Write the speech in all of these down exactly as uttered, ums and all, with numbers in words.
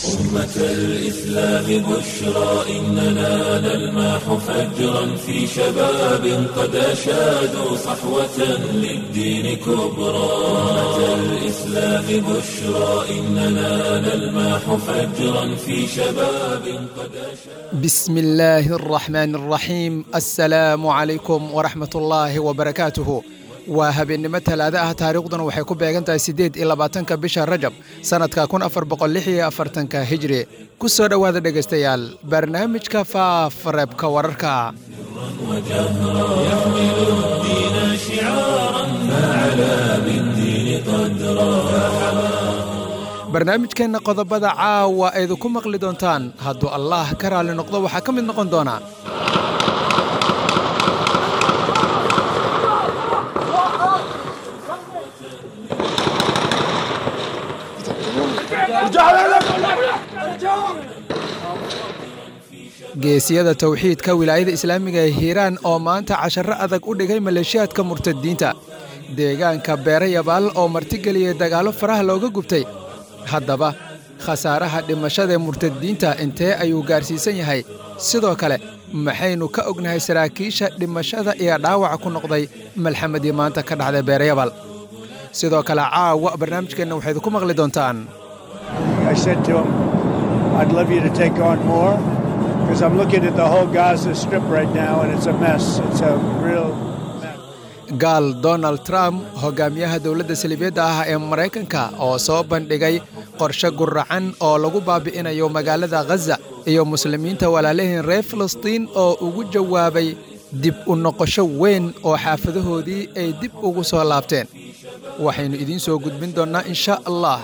أمة الإسلام بشرى إننا نلمح فجرا في شباب قد أشادوا صحوة للدين كبرى. أمة الإسلام بشرى إننا نلمح فجرا في شباب قد أشادوا. بسم الله الرحمن الرحيم. السلام عليكم ورحمة الله وبركاته. Waa habeennimo talaada ah, taariikhduna waxay ku beegan tahay siddeed iyo labaatanka bisha Rajab sanadka kun afar boqol lix iyo afartanka Hijri. Ku soo dhowaada dhegaystayaal barnaamijka Faafareebka Wararka. وجهرا يحمل الدين شعارا فعلى بالدين قدرا. Barnaamijkeenna qodobada caawa aydu ku maqli doontaan hadduu Allah ka raali noqdo waxaa ka mid noqon doona: geesiyada tawxiidka wilaayada islaamiga ee Hiiraan oo maanta casharo adag u dhigay maleeshiyaadka murtadiinta, deegaanka Beerayabaal oo martigeliyey dagaallo faraha looga gubtay. Haddaba khasaaraha dhimashada murtadiinta intee ayuu gaarsiisan yahay? Sidoo kale maxaynu ka ognahay saraakiisha dhimashada iyo dhaawaca ku noqday malxamadii maanta ka dhacday Beerayabaal? Sidoo kale caawa barnaamijkeenna waxayd ku maqli doontaan: I said to him, "I'd love you to take on more because I'm looking at the whole Gaza Strip right now and it's a mess. It's a real mess." Gaal Donald Trump, hogaamiyaha dowladda saliibiyadda ah ee Maraykanka, oo soo bandhigay qorshe guracan oo lagu baabi'inayo magaalada Ghaza iyo muslimiinta walaalihiin reer Filistiin, oo ugu jawaabay dib u noqosho weyn oo xaafadahoodii ay dib ugu soo laabteen. Waxaynu idiin soo gudbin doonnaa insha Allah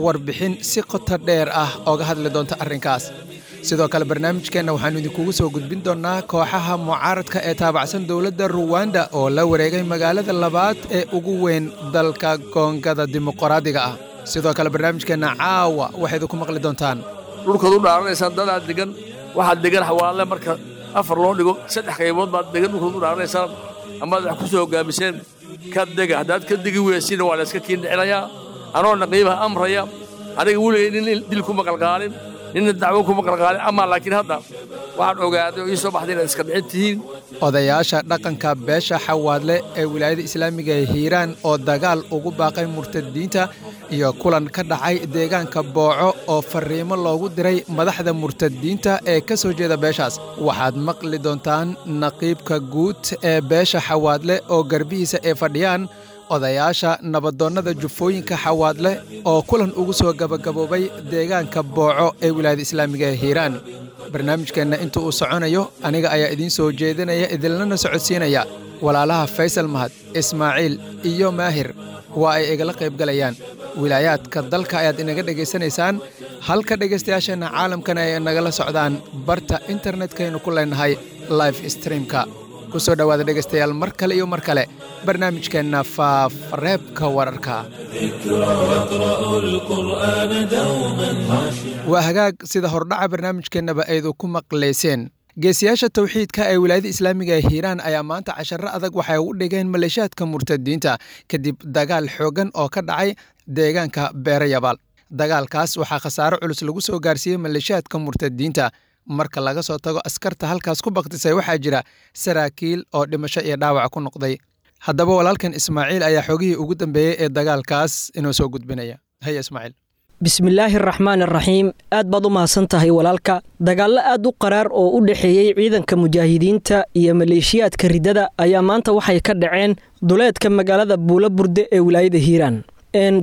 warbixin si qoto dheer ah ooga hadli doonta arrinkaas. Sidoo kale barnaamijkeenna waxaannu idinkugu soo gudbin doonnaa kooxaha mucaaradka ee taabacsan dowladda Ruwanda oo la wareegay magaalada labaad ee ugu weyn dalka Koongada Dimuqraadiga ah. Sidoo kale barnaamijkeenna caawa waxayd ku maqli doontaan: dhulkaad u dhaaranaysaan dadaa degan, waxaad degan xawaale marka afar loo dhigo saddex qaybood baad degan dhulkaad u dhaaranaysaan amaad wax ku soo hoggaamiseen ka dega. Haddaad ka degi weysina waa la iska kiindhicinayaa anoona qiimaha amraya. Aniga weligay nin dil kuma qalqaalin, ninna dacwo kuma qalqaalin, amaa laakiin hadda waxaan ogaaday oo ii soo baxday inaad iska dhicin tihiin. Odayaasha dhaqanka beesha Xawaadle ee wilaayada islaamiga ee Hiiraan oo dagaal ugu baaqay murtadiinta, iyo kulan ka dhacay deegaanka Booco oo farriimo loogu diray madaxda murtadiinta ee ka soo jeeda beeshaas. Waxaad maqli doontaan naqiibka guud ee beesha Xawaadle oo garbihiisa ay fadhiyaan odayaasha nabadoonnada jufooyinka Xawaadle oo kulan ugu soo gabagaboobay deegaanka Booco ee wilaayada islaamiga ee Hiiraan. Barnaamijkeenna inta uu soconayo aniga ayaa idiin soo jeedinaya, idinlana socodsiinaya. Walaalaha Faysal Mahad, Ismaaciil iyo Maahir waa ay igala qayb galayaan. Wilaayaadka dalka ayaad inaga dhegaysanaysaan, halka dhegaystayaasheenna caalamkana ay nagala socdaan barta internetkaynu ku leenahay live streamka. Ku soo dhowaada dhegaystayaal mar kale iyo mar kale barnaamijkeenna Faafareebka Wararka. ذكرى يقرأ القرآن دوما خاشعا. Waa hagaag, sida hordhaca barnaamijkeennaba aydu ku maqlayseen, geesiyaasha tawxiidka ee wilaayada islaamiga ee Hiiraan ayaa maanta casharo adag waxay u dhigeen maleeshiyaadka murtadiinta kadib dagaal xooggan oo ka dhacay deegaanka Beerayabaal. Dagaalkaas waxaa khasaaro culus lagu soo gaarsiiyey maleeshiyaadka murtadiinta. Marka laga soo tago askarta halkaas ku baktisay, waxaa jira saraakiil oo dhimasho iyo dhaawac ku noqday. Haddaba walaalkan Ismaaciil ayaa xogihii ugu dambeeyey ee dagaalkaas inoo soo gudbinaya. Haya Ismaaciil. Bismillaahi araxmaan araxiim. Aad baad u mahadsan tahay walaalka. Dagaallo aad u qaraar oo u dhexeeyey ciidanka mujaahidiinta iyo maleeshiyaadka riddada ayaa maanta waxay ka dhaceen duleedka magaalada Buulo Burde ee wilaayada Hiiraan.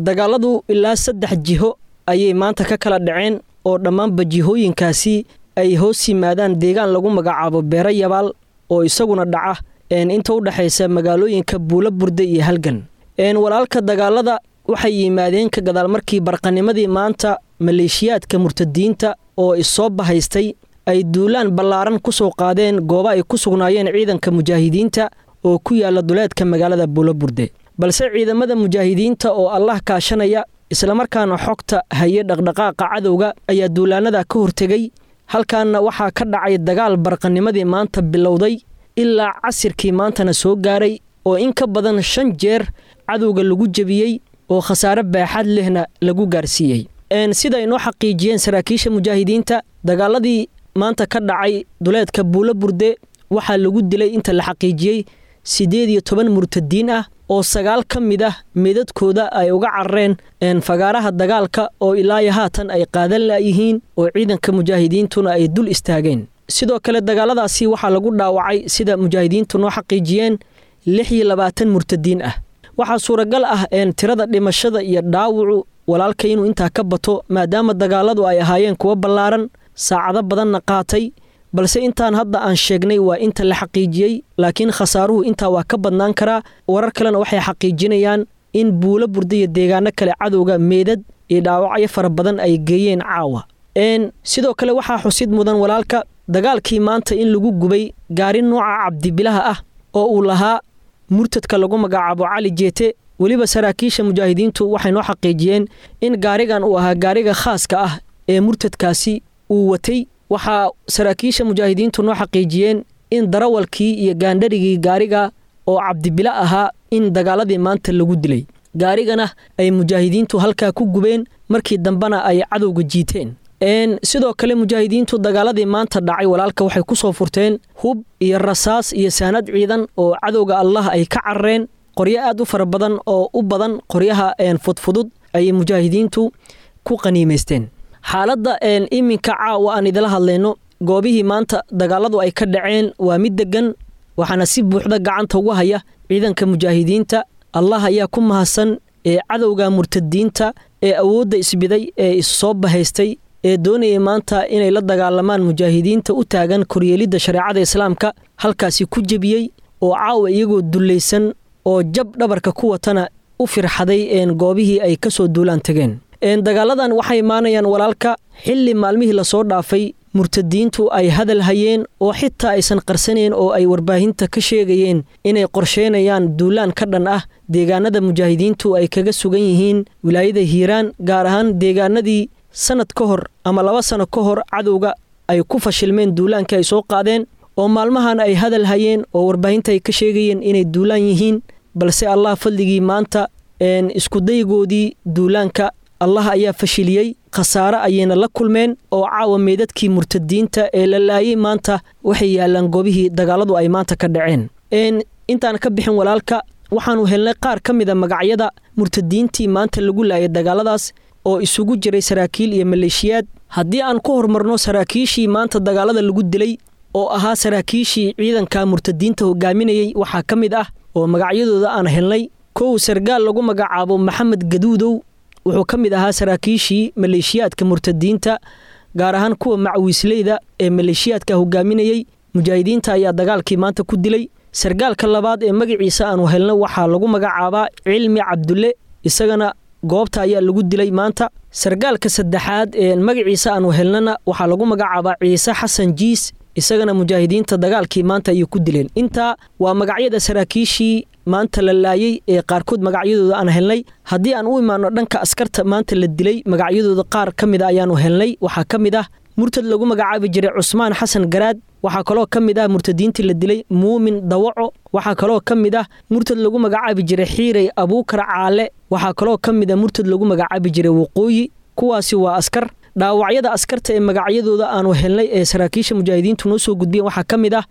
Dagaaladu ilaa saddex jiho ayay maanta ka kala dhaceen oo dhammaanba jihooyinkaasi ay hoos yimaadaan deegaan lagu magacaabo Beero Yabaal oo isaguna dhaca inta u dhexaysa magaalooyinka Buulo Burde iyo Halgan. Walaalka, dagaalada waxay yimaadeen ka gadaal markii barqanimadii maanta maleeshiyaadka murtadiinta oo issoo bahaystay ay duulaan ballaaran ku soo qaadeen goobo ay ku sugnaayeen ciidanka mujaahidiinta oo ku yaala duleedka magaalada Buulo Burde, balse ciidamada mujaahidiinta oo Allah kaashanaya islamarkaana xogta haye dhaqdhaqaaqa cadowga ayaa duulaanada ka hortegay. Halkaana waxaa ka dhacay dagaal barqanimadii maanta bilowday ilaa casirkii maantana soo gaaray oo in ka badan shan jeer cadowga lagu jebiyey oo khasaare baaxad lehna lagu gaarsiiyey. Sida ay noo xaqiijiyeen saraakiisha mujaahidiinta, dagaaladii maanta ka dhacay duleedka Buulo Burde waxaa lagu dilay inta la xaqiijiyey siddeed iyo toban murtadiin ah oo sagaal ka mid ah meedadkooda ay uga carareen fagaaraha dagaalka oo ilaa haatan ay qaadan laayihiin oo ciidanka mujaahidiintuna ay dul istaageen. Sidoo kale dagaaladaasi waxaa lagu dhaawacay sida mujaahidiintu noo xaqiijiyeen lix iyo labaatan murtadiin ah. Waxaa suuragal ah tirada dhimashada iyo dhaawacu walaalka inuu intaa ka bato, maadaama dagaaladu ay ahaayeen kuwo ballaaran, saacado badanna qaatay, balse intaan hadda aan sheegnay waa inta la xaqiijiyey, laakiin khasaaruhu intaa waa ka badnaan karaa. Warar kalena waxay xaqiijinayaan in Buulo Burde iyo deegaano kale cadowga meedad iyo dhaawacyo fara badan ay geeyeen caawa. Sidoo kale waxaa xusid mudan walaalka dagaalkii maanta in lagu gubay gaari nooca cabdibilaha ah oo uu lahaa murtadka lagu magacaabo Cali Jeete. Weliba saraakiisha mujaahidiintu waxay noo xaqiijiyeen in gaarigan uu ahaa gaariga khaaska ah ee murtadkaasi uu watay. Waxaa saraakiisha mujaahidiintu noo xaqiijiyeen in darawalkii iyo gaandharigii gaariga oo cabdibilo ahaa in dagaaladii maanta lagu dilay, gaarigana ay mujaahidiintu halkaa ku gubeen, markii dambena ay cadowga jiiteen. Sidoo kale mujaahidiintu dagaaladii maanta dhacay walaalka waxay ku soo furteen hub iyo rasaas iyo saanad ciidan oo cadowga Allah ay ka carareen. Qoryo aad u fara badan oo u badan qoryaha fudfudud ayay mujaahidiintu ku qaniimaysteen. Xaaladda iminka caawa aan idila hadlayno, goobihii maanta dagaaladu ay ka dhaceen waa mid degan, waxaana si buuxda gacanta ugu haya ciidanka mujaahidiinta. Allah ayaa ku mahadsan ee cadowga murtadiinta ee awoodda isbiday ee issoo bahaystay ee doonayay maanta inay la dagaalamaan mujaahidiinta u taagan koryeelidda shareecada islaamka halkaasi ku jebiyey, oo caawa iyagoo dullaysan oo jab dhabarka ku watana u firxaday goobihii ay ka soo duulaan tageen. Dagaaladan waxay imaanayaan walaalka xilli maalmihii lasoo dhaafay murtadiintu ay hadal hayeen oo xitaa aysan qarsanayn oo ay warbaahinta ka sheegayeen inay qorsheynayaan duulaan ka dhan ah deegaanada mujaahidiintu ay kaga sugan yihiin wilaayada Hiiraan, gaar ahaan deegaanadii sanad ka hor ama laba sano ka hor cadowga ay ku fashilmeen duulaanka ay soo qaadeen, oo maalmahan ay hadal hayeen oo warbaahinta ay ka sheegayeen inay duulaan yihiin. Balse Allah fadligii maanta iskudaygoodii duulaanka Allah ayaa fashiliyey, khasaare ayayna la kulmeen oo caawa meedadkii murtadiinta ee la laayay maanta waxay yaalaan goobihii dagaaladu ay maanta ka dhaceen. Intaan ka bixin walaalka, waxaanu helnay qaar ka mid a magacyada murtadiintii maanta lagu laayay dagaaladaas oo isugu jiray saraakiil iyo maleeshiyaad. Haddii aan ku horumarno saraakiishii maanta dagaalada lagu dilay oo ahaa saraakiishii ciidanka murtadiinta hogaaminayay, waxaa ka mid ah oo magacyadooda aan helnay kow sargaal lagu magacaabo Maxamed Gaduudow. Wuxuu ka mid ahaa saraakiishii maleeshiyaadka murtadiinta, gaar ahaan kuwa macwiisleyda ee maleeshiyaadka hogaaminayay. Mujaahidiinta ayaa dagaalkii maanta ku dilay. Sargaalka labaad ee magaciisa aanu helno waxaa lagu magacaabaa Cilmi Cabdulle, isagana goobta ayaa lagu dilay maanta. Sargaalka saddexaad ee magaciisa aanu helnana waxaa lagu magacaabaa Ciise Xasan Jiis, isagana mujaahidiinta dagaalkii maanta ayay ku dileen. Intaa waa magacyada saraakiishii maanta la laayay ee qaarkood magacyadooda aan helnay. Haddii aan u imaano dhanka askarta maanta la dilay, magacyadooda qaar ka mid a ayaanu helnay. Waxaa ka mid ah murtad lagu magacaabi jiray Cusmaan Xasan Garaad. Waxaa kaloo ka mid ah murtadiintii la dilay Muumin Dawaco. Waxaa kaloo ka mid ah murtad lagu magacaabi jiray Xiiray Abuukar Caale. Waxaa kaloo ka mid ah murtad lagu magacaabi jiray Waqooyi. Kuwaasi waa askar. Dhaawacyada askarta ee magacyadooda aanu helnay ee saraakiisha mujaahidiintu noo soo gudbiyeen waxaa ka mid ah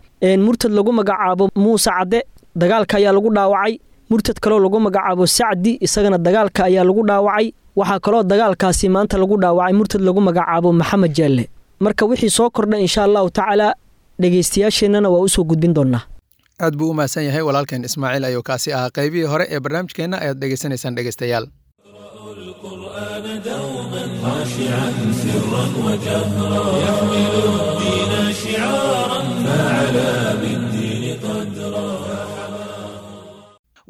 murtad lagu magacaabo Muuse Cadde, dagaalka ayaa lagu dhaawacay. Murtad kaloo lagu magacaabo Sacdi, isagana dagaalka ayaa lagu dhaawacay. Waxaa kaloo dagaalkaasi maanta lagu dhaawacay murtad lagu magacaabo Maxamed Jaalle. Marka wixii soo kordha insha Allahu tacaala dhegeystayaasheennana waa usoo gudbin doonaa. Aad buu u mahadsan yahay walaalkeen Ismaaciil ayuu kaasi ahaa. Qaybihii hore ee barnaamijkeenna ayaad dhegeysanaysaan dhegeystayaal. القرآن دوما خاشعا سرا وجهرا يحمل الدين شعارا فعلى بالدين قدرا.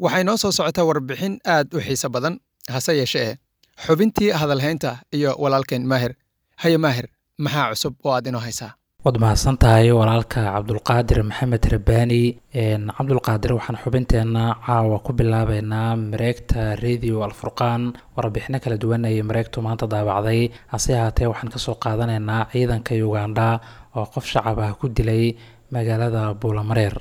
Waxay noo soo socotaa warbixin aad u xiiso badan, hase yeeshee xubintii hadalhaynta iyo walaalkeen Maahir. Haye Maahir, maxaa cusub oo aad inoo haysaa? Waad mahadsan tahay walaalka Cabdulqaadir Maxamed Rabbaani. Cabdulqaadir, waxaan xubinteenna caawa ku bilaabeynaa mareegta Radio Alfurqaan. Warbixino kala duwan ayay mareegtu maanta daabacday, hase ahaatee waxaan kasoo qaadanaynaa ciidanka Ugandha oo qof shacab ah ku dilay magaalada Buulamareer.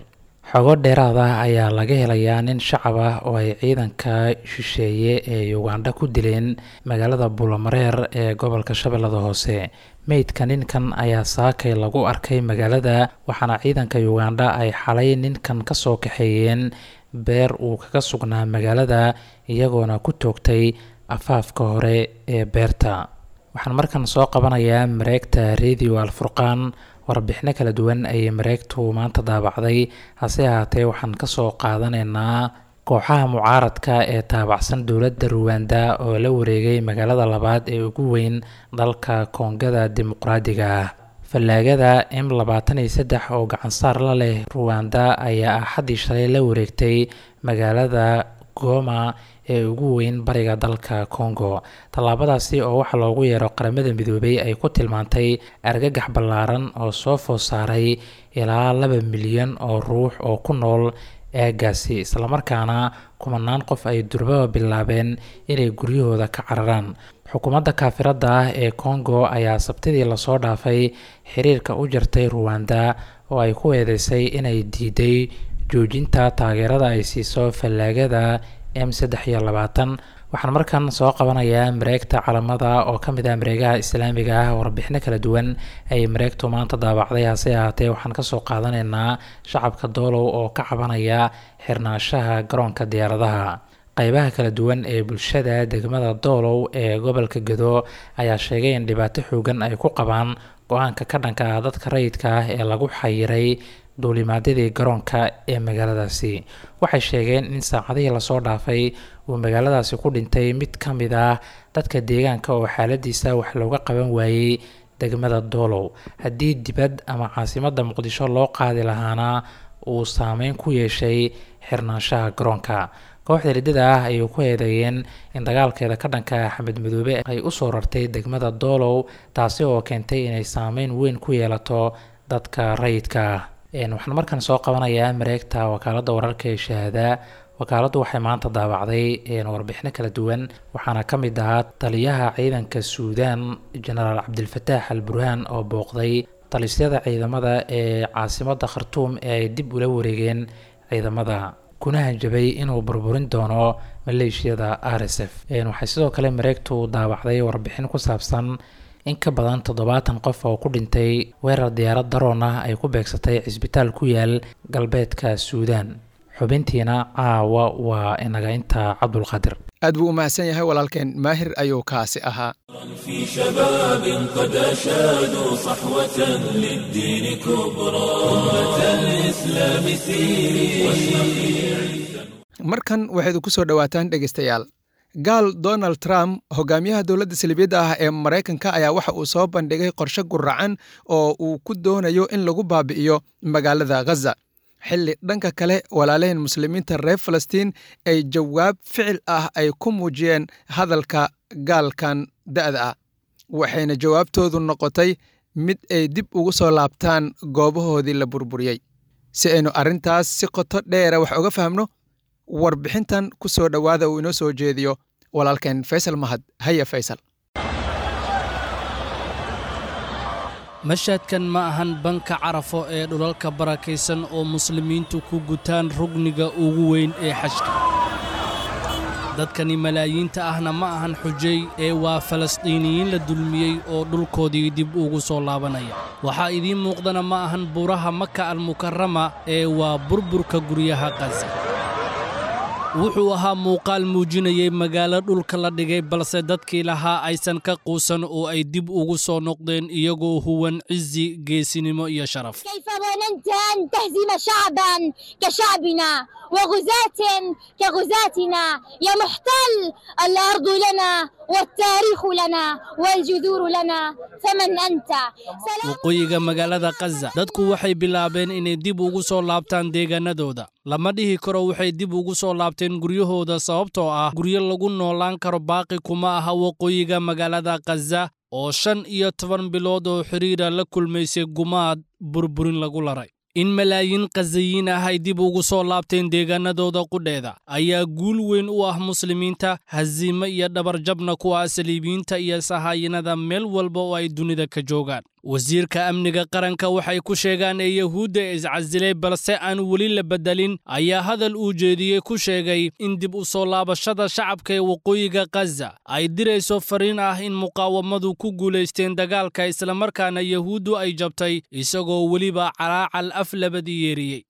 Xogo dheeraad ah ayaa laga helayaa nin shacab ah oo ay ciidanka shisheeye ee Ugandha ku dileen magaalada Buulamareer ee gobolka Shabeellada Hoose. Meydka ninkan ayaa saakay lagu arkay magaalada, waxaana ciidanka Ugandha ay xalay ninkan kasoo kaxeeyeen beer uu kaga sugnaa magaalada, iyagoona ku toogtay afaafka hore ee beerta. Waxaan markan soo qabanayaa mareegta Radio Alfurqaan. Warbixino kala duwan ayay mareegtu maanta daabacday, hase ahaatee waxaan kasoo qaadanaynaa kooxaha mucaaradka ee taabacsan dowladda Ruwanda oo la wareegay magaalada labaad ee ugu weyn dalka Koongada Dimuqraadiga ah. Fallaagada M labaatan iyo saddex oo gacansaar la leh Ruwanda ayaa axaddii shalay la wareegtay magaalada Goma ee ugu weyn bariga dalka Congo, tallaabadaasi oo waxa loogu yeero Qaramada Midoobay ay ku tilmaantay argagax ballaaran oo soo food saaray ilaa laba milyan oo ruux oo ku nool aaggaasi, islamarkaana kumanaan qof ay durbaba bilaabeen inay guryahooda ka cararaan. Xukuumadda kaafiradda ah ee Congo ayaa Sabtidii lasoo dhaafay xiriirka u jartay Ruwanda oo ay ku eedeysay inay diiday joojinta taageerada ay siiso fallaagada M saddex iyo labaatan. Waxaan markan soo qabanayaa mareegta Calamada oo ka mid ah mareegaha islaamiga ah. Warbixino kala duwan ayay mareegtu maanta daabacday, hase ahaatee waxaan kasoo qaadanaynaa shacabka Doolow oo ka cabanaya xirnaanshaha garoonka diyaaradaha. Qaybaha kala duwan ee bulshada degmada Doolow ee gobolka Gedo ayaa sheegay in dhibaato xoogan ay ku qabaan go-aanka ka dhanka ah dadka rayidka ah ee lagu xayiray duulimaadyadii garoonka ee magaaladaasi. Waxay sheegeen in saacadihii lasoo dhaafay uu magaaladaasi ku dhintay mid ka mid ah dadka deegaanka oo xaaladiisa wax looga qaban waayey degmada Doolow, haddii dibad ama caasimadda Muqdisho loo qaadi lahaana uu saameyn ku yeeshay xirnaanshaha garoonka. Kooxda riddada ah ayay ku eedeeyeen in dagaalkeeda ka dhanka Axmed Madoobe ay usoo rartay degmada Doolow, taasi oo keentay inay saameyn weyn ku yeelato dadka rayidka ah. Waxaan markan soo qabanayaa mareegta wakaaladda wararka ee Shahaada. Wakaaladdu waxay maanta daabacday warbixino kala duwan, waxaana ka mid ahaa taliyaha ciidanka Suudaan Jenaraal Cabdilfataax Al Burhaan oo booqday talisyada ciidamada ee caasimadda Khartuum ee ay dib ula wareegeen ciidamada, kuna hanjabay inuu burburin doono maleeshiyada R S F. Waxay sidoo kale mareegtu daabacday warbixin ku saabsan in ka badan toddobaatan qof oo ku dhintay weerar diyaarad daroon ah ay ku beegsatay cisbitaal ku yaal galbeedka Suudaan. Xubintiina caawa waa inaga intaa. Cabdulqaadir Aad buu u mahadsan yahay walaalkeen Maahir ayuu kaasi ahaa. في شباب قد أشادوا صحوة للدين كبرى، أمة الإسلام سيري. Markan waxayd ku soo dhowaataan dhegeystayaal, gaal Donald Trump, hogaamiyaha dowladda salibiyadda ah ee Maraykanka, ayaa waxa uu soo bandhigay qorshe guracan oo uu ku doonayo in lagu baabi'iyo magaalada Ghaza, xilli dhanka kale walaalaheen muslimiinta reer Falastiin ay jawaab ficil ah ay ku muujiyeen hadalka gaalkan da'da ah, waxayna jawaabtoodu noqotay mid ay dib ugu soo laabtaan goobahoodii la burburiyey. Si aynu arrintaas si qoto dheera wax uga fahmno, warbixintan ku soo dhowaada uu inoo soo jeediyo walaalkeen Faysal Mahad. Haya Faysal. Mashadkan ma ahan banka Carafo ee dhulalka barakaysan oo muslimiintu ku gutaan rugniga ugu weyn ee xajka. Dadkani malaayiinta ahna ma ahan xujay ee waa Falastiiniyiin la dulmiyey oo dhulkoodii dib ugu soo laabanaya. Waxaa idiin muuqdana ma ahan buuraha Maka Almukarama ee waa burburka guryaha Qaza. Wuxuu ahaa muuqaal muujinayay magaalo dhulka la dhigay, balse dadkii lahaa aysan ka quusan oo ay dib ugu soo noqdeen iyagoo huwan cizi, geesinimo iyo sharaf. كيف ظننت أن تهزم شعبا كشعبنا وغزاة كغزاتنا يا محتل؟ الأرض لنا والتاريخ لنا والجذور لنا، فمن أنت؟ Waqooyiga magaalada Qaza dadku waxay bilaabeen inay dib ugu soo laabtaan deegaanadooda. Lama dhihi karo waxay dib ugu soo laabteen guryahooda, sababtoo ah guryo lagu noolaan karo baaqi kuma aha waqooyiga magaalada Qaza oo shan iyo toban bilood oo xiriira la kulmaysay gumaad burburin lagu laray. In malaayiin Qazayiin ah ay dib ugu soo laabteen deegaanadooda qudheeda ayaa guul weyn u ah muslimiinta, hasiimo iyo dhabarjabna kuwa saliibiyiinta iyo sahaayinada meel walba oo ay dunida ka joogaan. Wasiirka amniga qaranka waxay ku sheegaan ee Yahuudda iscasilay balse aan weli la bedelin ayaa hadal uu jeediyey ku sheegay in dib u soo laabashada shacabka ee waqooyiga Gaza ay dirayso fariin ah in muqaawamadu ku guulaysteen dagaalka, islamarkaana Yahuuddu ay jabtay, isagoo weliba calaacal af labadii yeeriyey.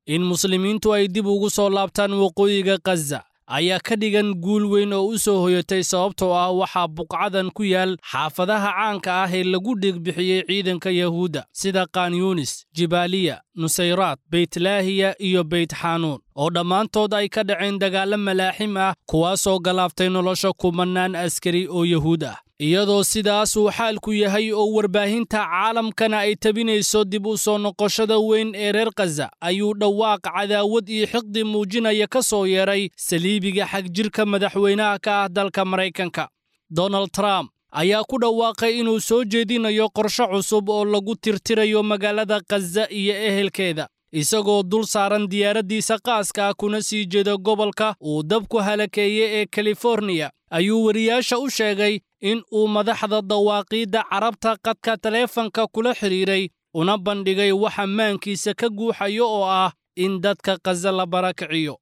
In muslimiintu ay dib ugu soo laabtaan waqooyiga Gaza ayaa ka dhigan guul weyn oo u soo hoyatay, sababtoo ah waxaa buqcadan ku yaal xaafadaha caanka ah ee lagu dhigbixiyey ciidanka Yahuudda sida Khan Yunis, Jibaaliya, Nusayraat, Beytlaahiya iyo Beyt Xanuun, oo dhammaantood ay ka dhaceen dagaallo malaaxim ah, kuwaasoo galaaftay nolosha kumannaan askari oo Yahuud ah. Iyadoo sidaas uu xaalku yahay oo warbaahinta caalamkana ay tabinayso dib u soo noqoshada weyn ee reer Gaza, ayuu dhawaaq cadaawad iyo xiqdi muujinaya ka soo yeeray saliibiga xagjirka madaxweynaha ka ah dalka Maraykanka. Donald Trump ayaa ku dhawaaqay inuu soo jeedinayo qorshe cusub oo lagu tirtirayo magaalada Gaza iyo ehelkeeda, isagoo dul saaran diyaaraddiisa qaaska ah kuna sii jeeda gobolka uu dabku halakeeyey ee California. Ayuu wariyaasha u sheegay in uu madaxda dawaaqiidda Carabta qadka taleefanka kula xiriiray, una bandhigay waxa maankiisa ka guuxayo oo ah in dadka Gaza la barakiciyo.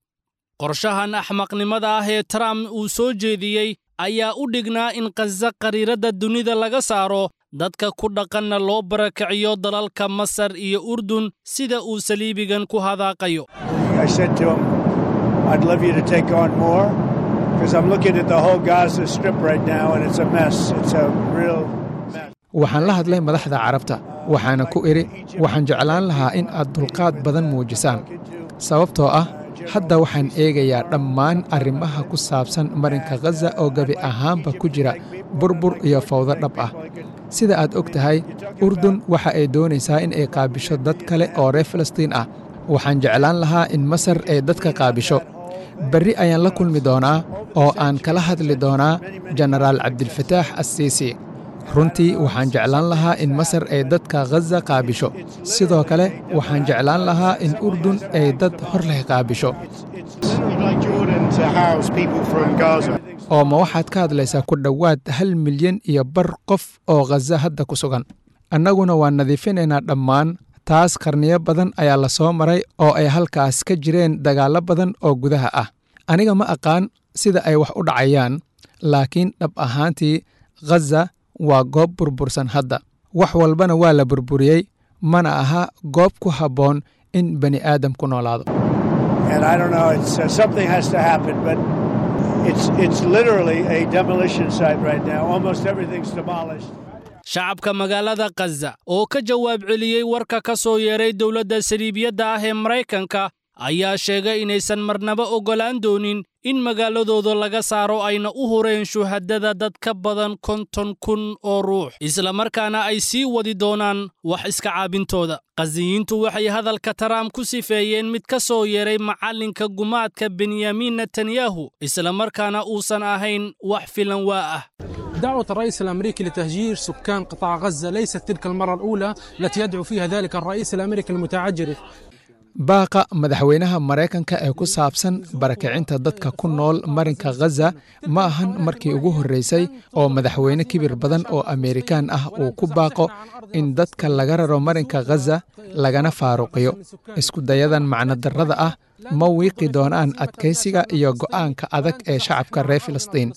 Qorshahan axmaqnimada ah ee Trump uu soo jeediyey ayaa u dhignaa in Gaza qariiradda dunida laga saaro, dadka ku dhaqanna loo barakiciyo dalalka Masar iyo Urdun, sida uu saliibigan ku hadaaqayo. I said to him, I'd love you to take on more, because I'm looking at the whole Gaza Strip right now, and it's a mess. It's a real mess. Waxaan la hadlay madaxda Carabta, waxaana ku idhi waxaan jeclaan lahaa in aad dulqaad badan muujisaan, sababtoo ah hadda waxaan eegayaa dhammaan arrimaha ku saabsan marinka Gaza oo gebi ahaanba ku jira burbur iyo fawdo dhab ah. Sida aad og tahay, Urdun waxa ay doonaysaa in ay qaabisho dad kale oo reer Falastiin ah. Waxaan jeclaan lahaa in Masar ay dadka qaabisho. Berri ayaan la kulmi doonaa oo aan kala hadli doonaa Jenaraal Cabdilfataax Assiisi. Runtii waxaan jeclaan lahaa in Masar ay dadka Gaza qaabisho. Sidoo kale waxaan jeclaan lahaa in Urdun ay dad hor leh qaabisho. Oo ma waxaad ka hadlaysaa ku dhowaad hal milyan iyo bar qof oo Gaza hadda ku sugan. Annaguna waan nadiifinaynaa dhammaan taas. Qarniyo badan ayaa la soo maray oo ay halkaas ka jireen dagaallo badan oo gudaha ah. Aniga ma aqaan sida ay wax u dhacayaan, laakiin dhab ahaantii Gaza waa goob burbursan hadda. Wax walbana waa la burburiyey, mana aha goob ku habboon in bani aadam ku noolaado. And I don't know, it's, uh, something has to happen, but it's, it's literally a demolition site right now. Almost everything's demolished. Shacabka magaalada Gaza oo ka jawaab celiyey warka ka soo yeeray dowladda saliibiyadda ah ee Maraykanka ayaa sheegay inaysan marnaba oggolaan doonin in magaaladooda laga saaro, ayna u hureen shuhadada dad ka badan konton kun oo ruux, islamarkaana ay sii wadi doonaan wax iska caabintooda. Qaziyiintu waxay hadalka Trump ku sifeeyeen mid ka soo yeeray macallinka gumaadka Benyamin Netanyahu, islamarkaana uusan ahayn wax filan waa ah. دعوة الرئيس الأمريكي لتهجير سكان قطاع غزة ليست تلك المرة الأولى التي يدعو فيها ذلك الرئيس الأمريكي المتعجرف. Baaqa madaxweynaha Maraykanka ee ku saabsan barakicinta dadka ku nool marinka Gaza ma ahan markii ugu horreysay oo madaxweyne kibir badan oo Ameerikaan ah uu ku baaqo in dadka laga raro marinka Gaza lagana faaruqiyo. Isku dayadan macnodarrada ah ma wiiqi doonaan adkaysiga iyo go'aanka adag ee shacabka reer Filistiin,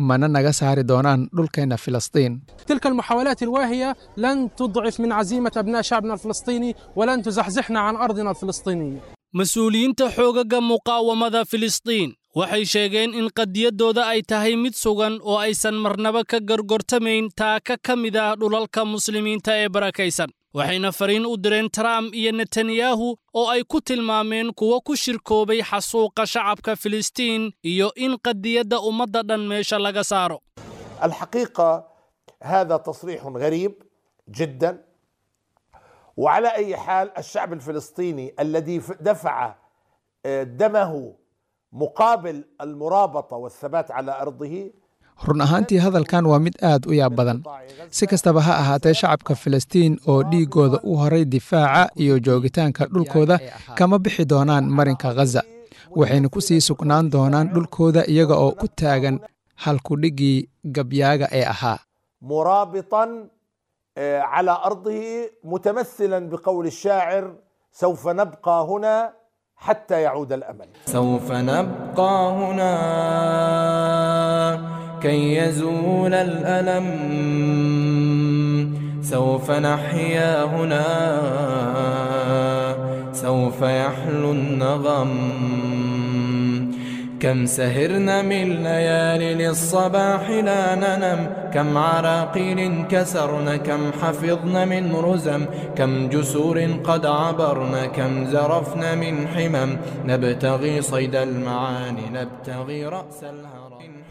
mana naga saari doonaan dhulkeenna Filistiin. تلك المحاولات الواهية لن تضعف من عزيمة أبناء شعبنا الفلسطيني ولن تزحزحنا عن أرضنا الفلسطينية. Mas-uuliyiinta xoogaga muqaawamada Filistiin waxay sheegeen in qadiyaddooda ay tahay mid sugan oo aysan marnaba ka gorgortamayn taaka ka mid ah dhulalka muslimiinta ee barakaysan, waxayna fariin u direen Trump iyo Netanyahu oo ay ku tilmaameen kuwo ku shirkoobay xasuuqa shacabka Filistiin iyo in qadiyadda ummadda dhan meesha laga saaro. الحقيقة هذا تصريح غريب جدا، وعلى أي حال الشعب الفلسطيني الذي دفع دمه مقابل المرابطة والثبات على أرضه. Run ahaantii hadalkan waa mid aad u yaab badan. Si kastaba ha ahaatee, shacabka Filistiin oo dhiiggooda u horay difaaca iyo joogitaanka dhulkooda kama bixi doonaan marinka Gaza, waxayna ku sii sugnaan doonaan dhulkooda iyaga oo ku taagan halkudhiggii gabyaaga ee ahaa مرابطا على أرضه، متمثلا بقول الشاعر: سوف نبقى هنا حتى يعود الأمل. سوف نبقى هنا كي يزول الألم، سوف نحيا هنا، سوف يحلو النغم. كم سهرنا من ليالي للصباح لا ننم، كم عراقيل كسرنا، كم حفظنا من رزم، كم جسور قد عبرنا، كم زرفنا من حمم. نبتغي صيد المعاني، نبتغي رأس الهرم.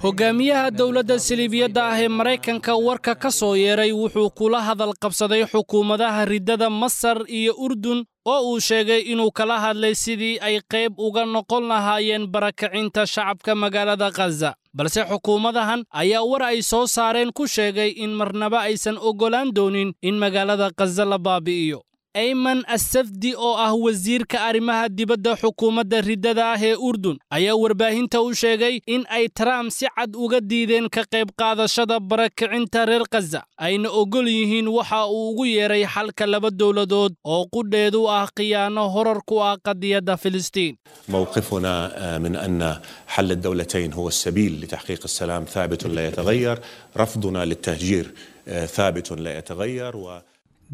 Hogaamiyaha dowladda siliibiyadda ah ee Maraykanka warka ka soo yeeray wuxuu kula hadal qabsaday xukuumadaha riddada Masar iyo Urdun oo uu sheegay inuu kala hadlay sidii ay qayb uga noqon lahaayeen barakacinta shacabka magaalada Gaza. Balse xukuumadahan ayaa war ay soo saareen ku sheegay in marnaba aysan oggolaan doonin in magaalada Gaza la baabi'iyo. Ayman Assafdi oo ah wasiirka arrimaha dibadda xukuumadda riddada ah ee Urdun ayaa warbaahinta u sheegay in ay Trump si cad uga diideen ka qayb qaadashada barakicinta reer Gaza, ayna oggol yihiin waxa uu ugu yeeray xalka laba dowladood oo qudheedu ah khiyaano horar ku ah qadiyadda Filistiin. موقفنا من أن حل الدولتين هو السبيل لتحقيق السلام ثابت لا يتغير، رفضنا للتهجير ثابت لا يتغير. و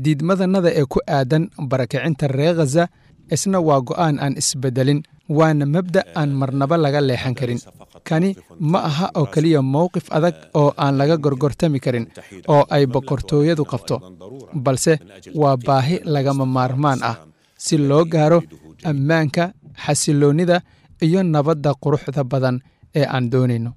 Diidmadanada ee ku aadan barakicinta reer Ghaza isna waa go'aan aan isbedelin, waana mabda' aan marnaba laga leexan karin. Kani ma aha oo keliya mowqif adag oo aan laga gorgortami karin oo ay boqortooyadu qabto, balse waa baahi lagama maarmaan ah si loo gaaro ammaanka, xasilloonnida iyo nabadda quruxda badan ee aan doonayno.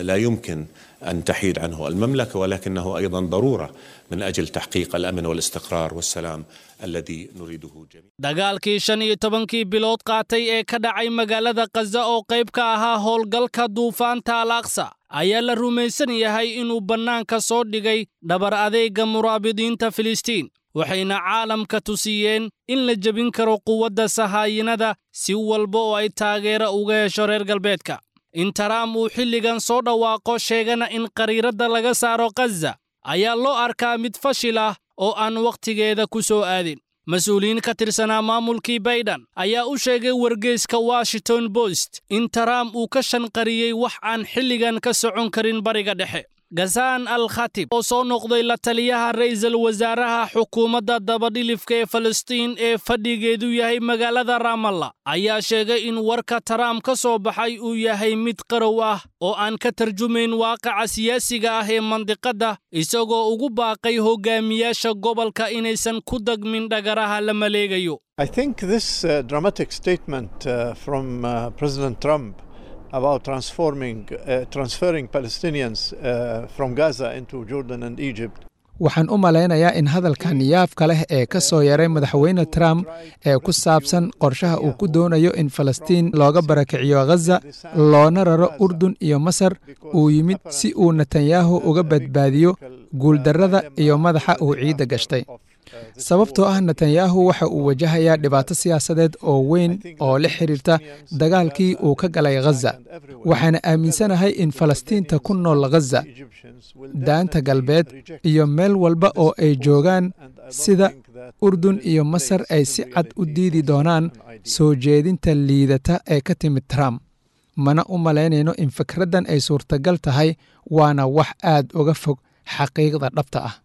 لا يمكن أن تحيد عنه المملكة، ولكنه أيضا ضرورة من أجل تحقيق الأمن والاستقرار والسلام الذي نريده جميعا. Dagaalkii shan iyo tobankii bilood qaatay ee ka dhacay magaalada Gaza oo qayb ka ahaa howlgalka duufaanta Al-Aqsa ayaa la rumaysan yahay inuu bannaanka soo dhigay dhabar adeega muraabidiinta Filistiin, waxayna caalamka tusiyeen in la jebin karo quwadda sahaayinada si walba oo ay taageero uga hesho reer galbeedka. In Trump uu xilligan soo dhawaaqo sheegana in qariiradda laga saaro Gaza ayaa loo arkaa mid fashil ah oo aan wakhtigeeda ku soo aadin. Mas-uuliyiin ka tirsanaa maamulkii Biden ayaa u sheegay wargeyska Washington Post in Trump uu ka shanqariyey wax aan xilligan ka socon karin bariga dhexe. Ghassan Al-Khatib oo soo noqday la taliyaha ra'iisul wasaaraha xukuumadda dabadhilifka ee Falastiin ee fadhigeedu yahay magaalada Ramallah ayaa sheegay in warka Trump ka soo baxay uu yahay mid qarow ah oo aan ka tarjumayn waaqaca siyaasiga ah ee mandiqadda, isagoo ugu baaqay hogaamiyaasha gobolka inaysan ku dagmin dhagaraha la maleegayo. I think this uh, dramatic statement uh, from uh, President Trump about transforming, uh, transferring Palestinians uh, from Gaza into Jordan and Egypt. Waxaan u malaynayaa in hadalkan yaabka leh ee ka soo yaray madaxweyne Trump ee ku saabsan qorshaha uu ku doonayo in Falastiin looga barakiciyo Ghaza loona raro Urdun iyo Masar uu yimid si uu Netanyahu uga badbaadiyo guuldarrada iyo madaxa uu ciidda gashtay. Sababtoo ah Netanyahu waxa uu wajahayaa dhibaato siyaasadeed oo weyn oo la xiriirta dagaalkii uu ka galay Ghaza. Waxaana aaminsanahay in Falastiinta ku nool Ghaza, daanta galbeed iyo meel walba oo ay joogaan sida Urdun iyo Masar ay si cad u diidi doonaan soo jeedinta liidata ee ka timid Trump. Mana u malaynayno in fikraddan ay suurtagal tahay, waana wax aad uga fog xaqiiqda dhabta ah.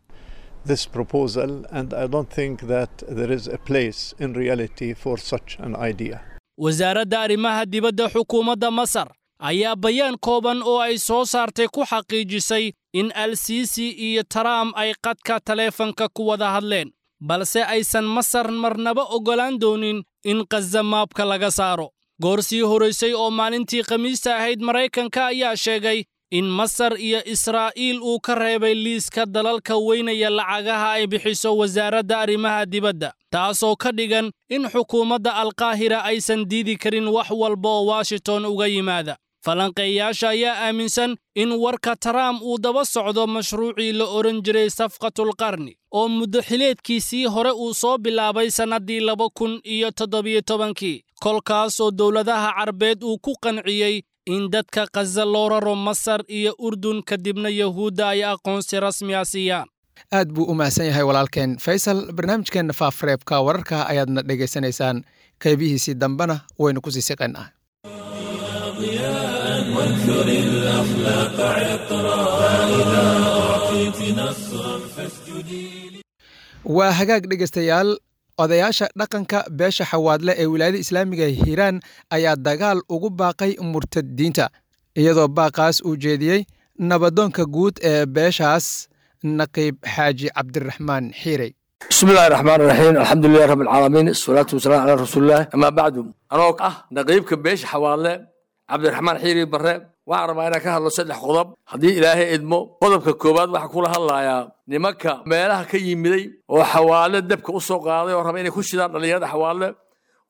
This proposal, and I don't think that there is a place in reality for such an idea. Wasaaradda arrimaha dibadda xukuumadda Masar ayaa bayaan kooban oo ay soo saartay ku xaqiijisay in Al-Sisi iyo Trump ay qadka taleefanka ku wada hadleen, balse aysan Masar marnaba oggolaan doonin in Gaza maabka laga saaro. Goor sii horeysay oo maalintii Khamiista ahayd Maraykanka ayaa sheegay in Masar iyo Israa'iil uu ka reebay liiska dalalka weynaya lacagaha ay bixiso wasaaradda arrimaha dibadda, taasoo ka dhigan in xukuumadda Alqaahira aysan diidi karin wax walba oo Washington uga yimaada. Falanqeeyaasha ayaa aaminsan in warka Trump uu daba socdo mashruucii la oran jiray safqatul qarni oo muddo xileedkiisii hore uu soo bilaabay sannaddii laba kun iyo toddobiyo tobankii, kolkaas oo dowladaha Carbeed uu ku qanciyey in dadka Gaza loo raro Masar iyo Urdun, kadibna Yahuudda ay aqoonsi rasmi ah siiyaan. Aad buu u mahadsan yahay walaalkeen Faysal. Barnaamijkeenna Faafareebka Wararka ayaadna dhegaysanaysaan, qaybihiisii dambena waynu kusii siqaynaa. وانثر الأخلاق عطرا فإذا أعطيت نصرا فاسجدي. Waa hagaag dhegaystayaal, odayaasha dhaqanka beesha Xawaadle ee wilaayada islaamiga Hiiraan ayaa dagaal ugu baaqay murtadiinta, iyadoo baaqaas uu jeediyey nabadoonka guud ee beeshaas, Naqiib Xaaji Cabdiraxmaan Xiirey. بسم الله الرحمن الرحيم، الحمد لله رب العالمين، الصلاة والسلام على رسول الله، أما بعد. أنا أه نقيبك بيش حوالي عبد الرحمن حيري برre, waxaan rabaa inaan ka hadlo saddex qodob haddii Ilaahay idmo. Qodobka koowaad waxaa kula hadlayaa nimanka meelaha ka yimiday oo Xawaale dabka u soo qaaday oo raba inay ku shidaan dhalinyarada Xawaale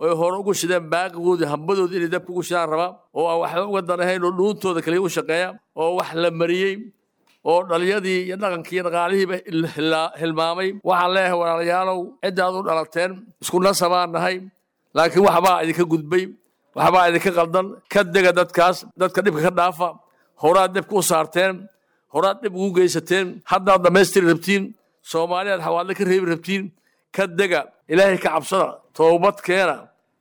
oo hore ugu shideen baaqigoodii hambadoodii inay dabka ugu shidaan raba, oo aan waxba uga danahayn oo dhuuntooda kaliya u shaqeeya, oo wax la mariyey oo dhaliyadii iyo dhaqankii iyo dhaqaalihiiba hilmaamay. Waxaan leeyahay walaalayaalow, ciddaad u dhalateen isku nasabaan nahay, laakiin waxbaa idinka gudbay, waxbaa idinka qaldan. Ka dega dadkaas, dadka dhibka ka dhaafa. Horaad dhibka u saarteen, horaad dhib ugu geysateen, haddaad dhammaystiri rabtiin, Soomaaliyaad Xawaadle ka reebi rabtiin. Ka dega, Ilaahay ka cabsada, toobad keena,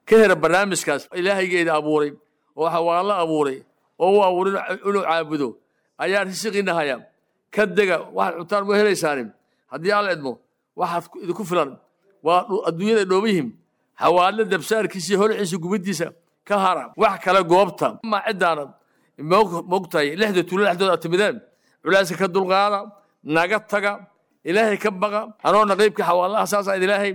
ka hera barnaamijkaas. Ilaahaygeeda abuuray oo Xawaadle abuuray oo u abuuray inuu caabudo ayaa risiqiina haya. Ka dega, waxaad cuntaan ma helaysaanin haddii Alla idmo. Waxaad idinku filan waa adduunyada dhooban yihiin. Xawaadle dabsaarkiisa, holciisa, gubiddiisa ka hara. Wax kale goobta ma ciddaana mogtahay lixda tuulo dhexdooda aad timideen, culeyska ka dulqaada, naga taga, Ilaahay ka baqa. Anoo naqiibka Xawaalaha saasaa idin ilaahay,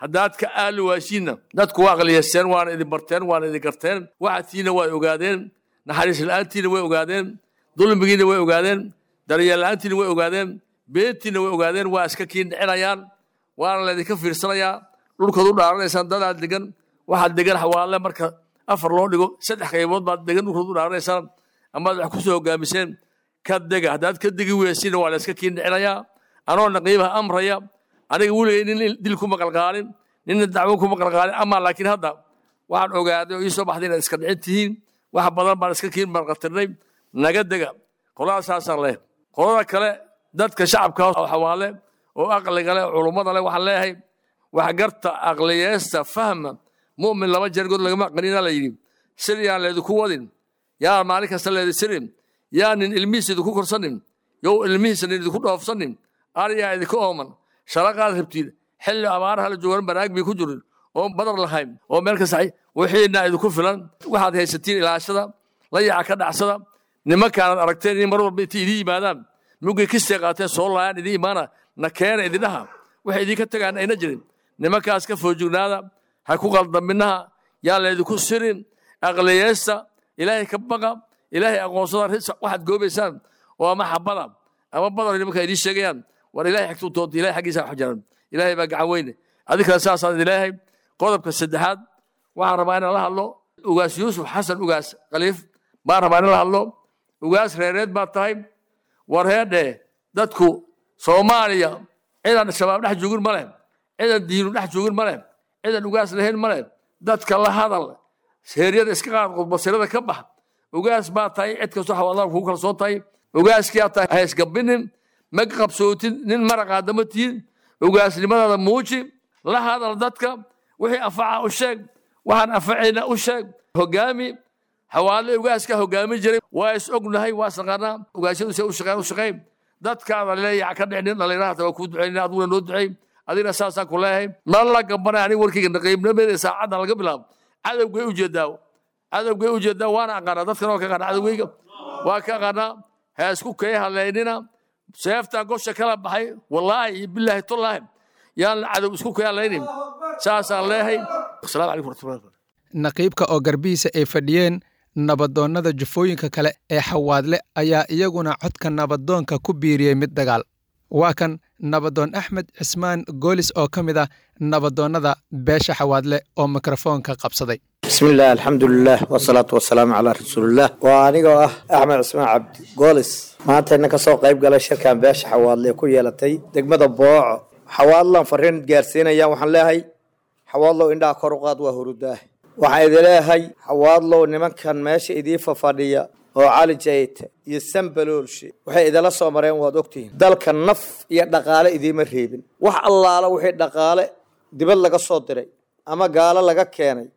haddaad ka aali waashiinna, dadku waa aqliyeysteen, waana idin barteen, waana idin garteen, waxaadtiina way ogaadeen, naxariis la'aantiina way ogaadeen, dulmigiina way ogaadeen, daryeel la'aantiina way ogaadeen, beentiina way ogaadeen. Waa iska kiin dhicinayaan, waana laydinka fiirsanayaa. Dhulkaad u dhaaranaysaan dadaad degan, waxaad degan Xawaale marka afar loo dhigo saddex qaybood baad degan. Dhulkaad u dhaaranaysaan amaad wax ku soo hogaamiseen, ka dega. Haddaad ka degi weysiina, waa la iska kiin dhicinayaa. Anoo naqiibaha amraya, aniga weligay nin dil kuma qalqaalin, ninna dacwo kuma qalqaalin, ama laakiin hadda waxaan ogaaday oo ii soo baxday inaad iska dhicin tihiin. Wax badan baan iska kiin marqatirnay, naga dega. Qolada saasaan leh. Qolada kale, dadka shacabka oo Xawaale oo aqliga leh, culummada leh, waxaan leeyahay waxgarta, aqliyeesta, fahma. Mu'min laba jeer god lagama qanina la yidhi. Sir yaan laydinku wadin, yaa maalin kasta laydin sirin, yaa nin ilmihiisa idinku korsanin, yow ilmihiisa nin idinku dhoofsanin. Ariyaa idinka ooman, sharaqaad rabtiin xilli abaaraha la joogan, banaag bay ku jirin oo badar lahayn oo meel kasta wixiina idinku filan. Waxaad haysatiin ilaashada, layaca ka dhacsada. Nimankaanaad aragteen in mar walba intay idiin yimaadaan mugay kistay qaateen soo laayaan, idiin imaana na keena idindhaha, waxay idinka tagaan ayna jirin. Nimankaas ka foojignaada, ha ku qaldaminaha, yaa laydinku sirin. Aqliyeesta, Ilaahay ka baqa, Ilaahay aqoonsada. Waxaad goobaysaan oo ama xabada ama badar nimanka idiin sheegayaan, war Ilahay xigtuu doonta, Ilahay xaggiisa wax jiran, Ilaahay baa gacan weyne. Adinkana saasaan idin leeyahay. Qodobka saddexaad waxaan rabaa inaan la hadlo Ugaas Yuusuf Xasan Ugaas Khaliif baan rabaa inaan la hadlo. Ugaas reereed baad tahay. War heedhee, dadku Soomaaliya cidaan Shabaab dhex joogin ma leh, cidan diinu dhex joogin ma leh, cidan ugaas lahayn ma leh. Dadka la hadal, heeryada iska qaad, qudbasirada ka bax. Ugaas baa tahay, cid kastoo Xawaadlaha kugu kalsoon tahay, ugaaskiyaa tahay, ha isgabinin, ma qabsootid nin maraqaada ma tihin. Ugaasnimadaada muuji, la hadal dadka, wixii anfaca u sheeg, waxaan anfacayna u sheeg, hogaami Xawaale. Ugaaska hogaami jiray waa is ognahay, waa isnaqaanaa. Ugaasyadu se u shaqeyn u shaqeyn, dadkaada leeyaca ka dhicnin. Dhalinyarahata waa kuu duceynina, adiguna noo duceey, adigna saasaan ku leeyahay. Nala gambanay aniga warkayga naqiibnimadeeda saacaddan laga bilaabo cadowgay u jeedaa, cadowgay u jeedaa, waana aqaanaa dadkan, waa ka aqaanaa cadowgayga, waa ka aqaanaa. Ha isku kay hadlaynina, seeftaan gosha kala baxay, wallaahi iyo bilaahi tullaahi yaan cadow isku kay hadlaynin. Saasaan leeyahay. Asalaamu calaykum waraxmatullahi. Naqiibka oo garbihiisa ay fadhiyeen nabadoonnada jufooyinka kale ee Xawaadle ayaa iyaguna codka nabadoonka ku biiriyey mid dagaal. Waa kan nabadoon Axmed Cismaan Goolis oo ka mid ah nabadoonnada beesha Xawaadle oo mikrofoonka qabsaday. بسم الله، الحمد لله، والصلاة والسلام على رسول الله. وأنيقو أه أحمد عثمان عبد جولس, maanta inna kasoo qayb galay shirkan beesha Xawaadle ku yeelatay degmada Booco. Xawaadlan fariin gaarsiinayaan. Waxaan leeyahay Xawaadlow, indhaha kor u qaad, waa hurudaah. Waxaan idin leeyahay Xawaadlow, nimankan meesha idiin fafadhiya Oo Cali Jayte iyo Sambaloolshe waxay idala soo mareen waad ogtihiin. Dalka naf iyo dhaqaale idiima reebin. Wax allaala wixii dhaqaale dibad laga soo diray ama gaalo laga keenay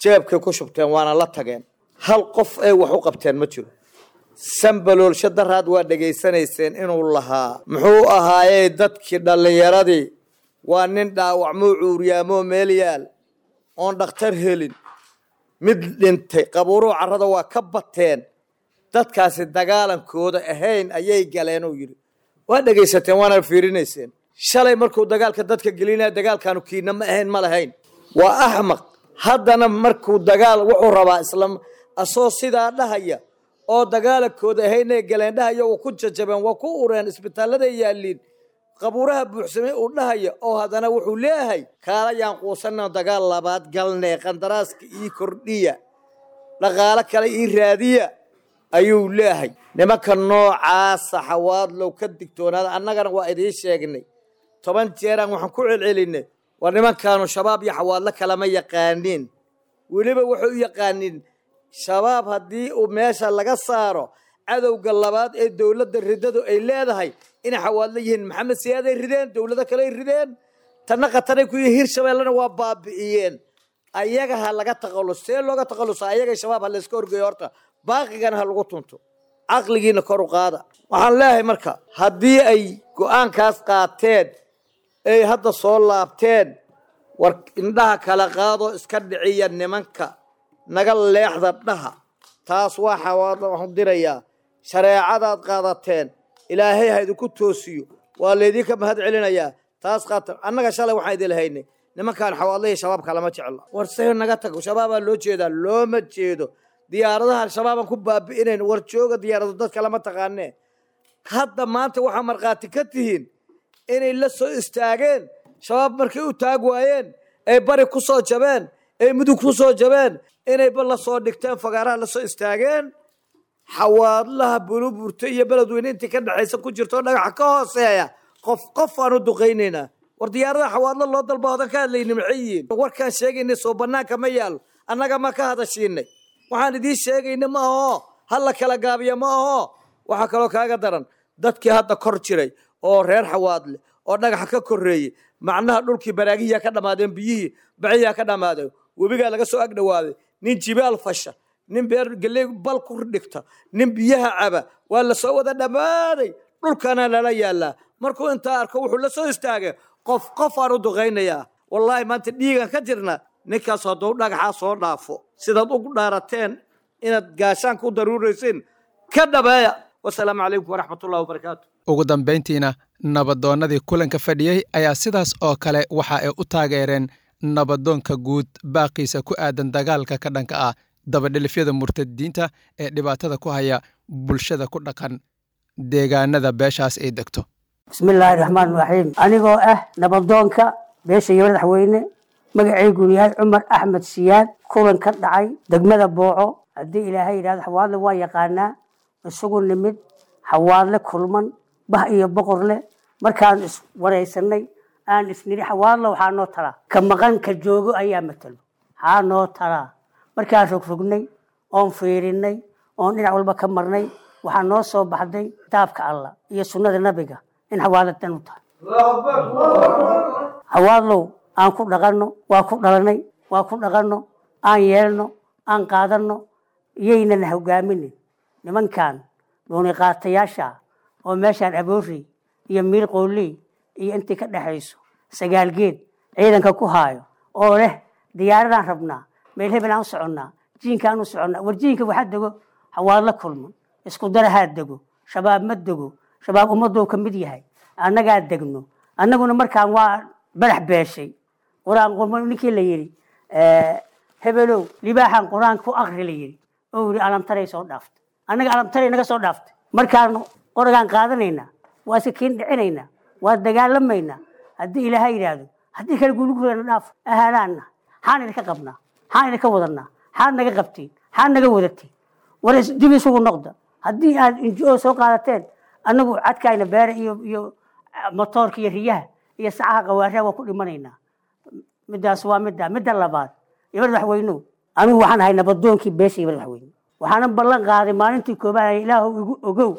jeebkay ku shubteen, waana la tageen. Hal qof ay wax u qabteen ma jiro. Sambaloolshe daraad waa dhegaysanayseen inuu lahaa muxuu ahaayey dadkii dhallinyaradii waa nin dhaawacmuu cuuriyaamoo meel yaal oon dhakhtar helin, mid dhintay, qabuuruhu carrada waa ka bateen, dadkaasi dagaalankooda ahayn ayay galeen uu yidhi. Waa dhegaysateen waana fiirinayseen. Shalay markuu dagaalka dadka gelinaya dagaalkaanu kiina ma ahayn, ma lahayn, waa axmaq. Haddana markuu dagaal wuxuu rabaa isla asoo sidaa dhahaya oo dagaalankooda ahaynay galeen dhahaya, waa ku jajabeen, waa ku ureen, isbitaalladay yaalliin, qabuuraha buuxsamay uu dhahaya, oo haddana wuxuu leeyahay kaala yaan quusanna dagaal labaad galnee, qandaraaska ii kordhiya, dhaqaalo kale ii raadiya ayuu leeyahay. Nimanka noocaasa Xawaadlow ka digtoonaada. Annagana waa idiin sheegnay toban jeeraan waxaan ku celcelinay, waa nimankaanu Shabaab iyo Xawaadlo kalama yaqaaniin. Weliba waxay u yaqaaniin Shabaab haddii uu meesha laga saaro cadowga labaad ee dowladda riddadu ay leedahay inay Xawaadlo yihiin. Maxamed Siyaaday rideen, dowlado kale ay rideen, tanna khataray ku yihiin, Hirshabeellena waa baabi'iyeen. Ayaga ha laga taqallus. See looga taqallusa? Ayaga Shabaab ha layska horgeeyo horta, baaqigana ha lagu tunto, caqligiina kor u qaada. Waxaan leeyahay marka haddii ay go'aankaas qaateen ay hadda soo laabteen, war indhaha kala qaado, iska dhiciya nimanka, naga leexda dhaha. Taas waa Xawaadlo waxaan dirayaa. Shareecadaad qaadateen Ilaahay ha idinku toosiyo, waa laydinka mahad celinayaa. Taas qaata. Annaga shalay waxaan idin lahaynay nimankaan Xawaadlo iyo Shabaabka lama jeclo. War see naga tago, Shabaabaa loo jeedaa, looma jeedo. Diyaaradaha Al-Shabaabaan ku baabi'inayn, war jooga, diyaarado dadka lama taqaanee. Hadda maanta waxaa markhaati ka tihiin inay la soo istaageen Shabaab markay u taag waayeen, ay bari ku soo jabeen, ay mudug ku soo jabeen, inayba la soo dhigteen fagaaraha la soo istaageen Xawaadlaha Buluburta iyo Beledweyne intii ka dhexaysa ku jirto dhagaxa ka hooseeya, qof qof aan u duqaynaynaa. War diyaaradaha Xawaadlo loo dalba hodan ka hadlayni maxay yihiin? Warkaan sheegaynay soo bannaanka ma yaal, annaga ma ka hadashiinay. Waxaan idiin sheegayna ma aho ha la kala gaabiya ma aho. Waxaa kaloo kaaga daran dadkii hadda kor jiray oo reer Xawaadle oo dhagaxa ka korreeyey, macnaha dhulkii baraagihiyaa ka dhammaadeen, biyihii bacihiyaa ka dhammaadeen, webigaa laga soo agdhawaaday. Nin jibaal fasha, nin beer galley bal ku dhigta, nin biyaha caba, waa la soo wada dhammaaday, dhulkana lala yaallaa. Markuu intaa arko wuxuu la soo istaagay qof qof aan u duqaynayaa. Wallaahi maanta dhiigan ka jirna ninkaas hadduu dhagaxaa soo dhaafo, sidaad ugu dhaarateen inaad gaashaanka u daruuraysiin ka dhabeeya. Wasalaamu calaykum waraxmatullahi wabarakaatu. Ugu dambayntiina nabadoonnadii kulanka fadhiyey ayaa sidaas oo kale waxa ay u taageereen nabadoonka guud baaqiisa ku aadan dagaalka ka dhanka ah dabadhilifyada murtadiinta ee dhibaatada ku haya bulshada ku dhaqan deegaanada beeshaas ay degto. Bismillaahi raxmaan raxiim. Anigoo ah nabadoonka beesha iyo madaxweyne, magaceyguna yahay Cumar Axmed Siyaad, kulan ka dhacay degmada Booco, haddii Ilaahay yidhahdo Xawaadle waa yaqaanaa, isugu nimid Xawaadle kulman bah iyo boqor leh. Markaan is waraysanay aan isnidhi Xawaadle waxaa noo talaa ka maqan ka joogo ayaa matalo, waxaa noo talaa. Markaan rogrognay oon fiirinay oon dhinac walba ka marnay, waxaa noo soo baxday kitaabka Allah iyo sunnada nabiga in Xawaadle dan u tahay. Xawaadlow aan ku dhaqanno, waa ku dhalanay, waa ku dhaqanno, aan yeelno, aan qaadanno, yaynan hogaaminin nimankan dhuuniqaatayaasha oo meeshaan Aboori iyo Miir Qooley iyo intii ka dhexayso Sagaalgeed ciidanka ku haayo oo leh diyaaradaan rabnaa, meel hebel aan u soconnaa, jiinkaan u soconnaa. War jiinka waxaa dego Xawaadlo kulman, isku darahaa dego, Shabaab ma dego, Shabaab ummaduu ka mid yahay, annagaa degno. Annaguna markaan waa barax beeshay qur-aan qurma ninkii la yidhi hebelow libaaxan qur-aan ku akri la yidhi oo yidhi alamtaray soo dhaaftay, annaga alamtaray naga soo dhaaftay. Markaanu qoragaan qaadanaynaa, waa iska kiin dhicinaynaa, waa dagaalamaynaa haddii Ilaahay yidhaahdo. Haddii kale guulgureena dhaaf ahaalaanna, xaan idinka qabnaa, xaan idinka wadanaa, xaad naga qabtiin, xaad naga wadatiin. War dib isugu noqda. Haddii aad N G O soo qaadateen, annagu cadkayna beere iyo iyo motoorka iyo riyaha iyo sacaha qawaariha waa ku dhimanaynaa. Midaas waa midda. Midda labaad, iyo madaxweynuhu, anigu waxaan ahay nabadoonkii beesha iyo madaxweyne. Waxaanan ballan qaaday maalintii koobaad, Ilaahu igu ogow,